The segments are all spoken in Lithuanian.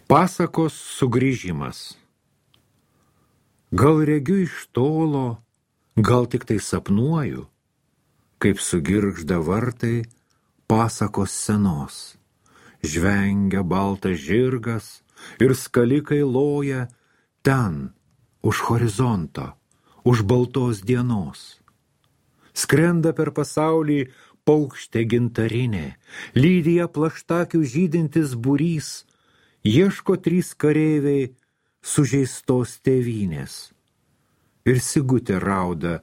Pasakos sugrįžimas. Gal regiu iš tolo, gal tik tai sapnuoju, kaip sugirgžda vartai pasakos senos. Žvengia baltas žirgas ir skalikai loja ten, už horizonto, už baltos dienos. Skrenda per pasaulį paukštė gintarinė, lydi ją plaštakių žydintis būrys, ieško 3 kareiviai sužeistos tėvynės ir sigutė rauda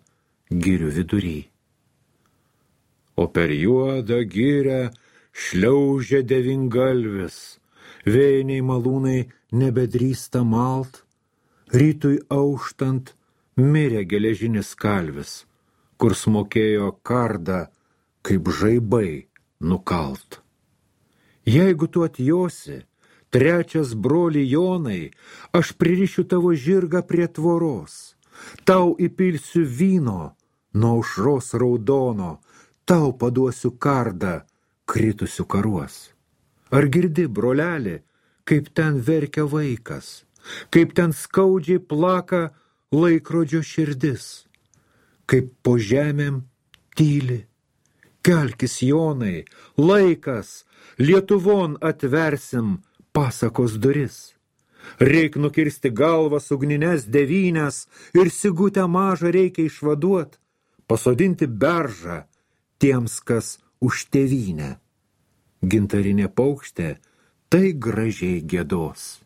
girių vidury. O per juodą girę šliaužia devyngalvis, vėjiniai malūnai nebedrįsta malt, rytui auštant mirė geležinis kalvis, kur smokėjo kardą kaip žaibai nukalt. Jeigu tu atjosi, 3 broli Jonai, aš pririšiu tavo žirgą prie tvoros, tau įpilsiu vyno nuo aušros raudono, tau paduosiu kardą kritusių karuos. Ar girdi, broleli, kaip ten verkia vaikas, kaip ten skaudžiai plaka laikrodžio širdis, kaip po žemėm tyli? Kelkis, Jonai, laikas, Lietuvon atversim pasakos duris. Reik nukirsti galvas ugnines 9 ir sigutę mažą reikia išvaduot, pasodinti beržą tiems, kas už tėvynę. Gintarinė paukštė tai gražiai giedos.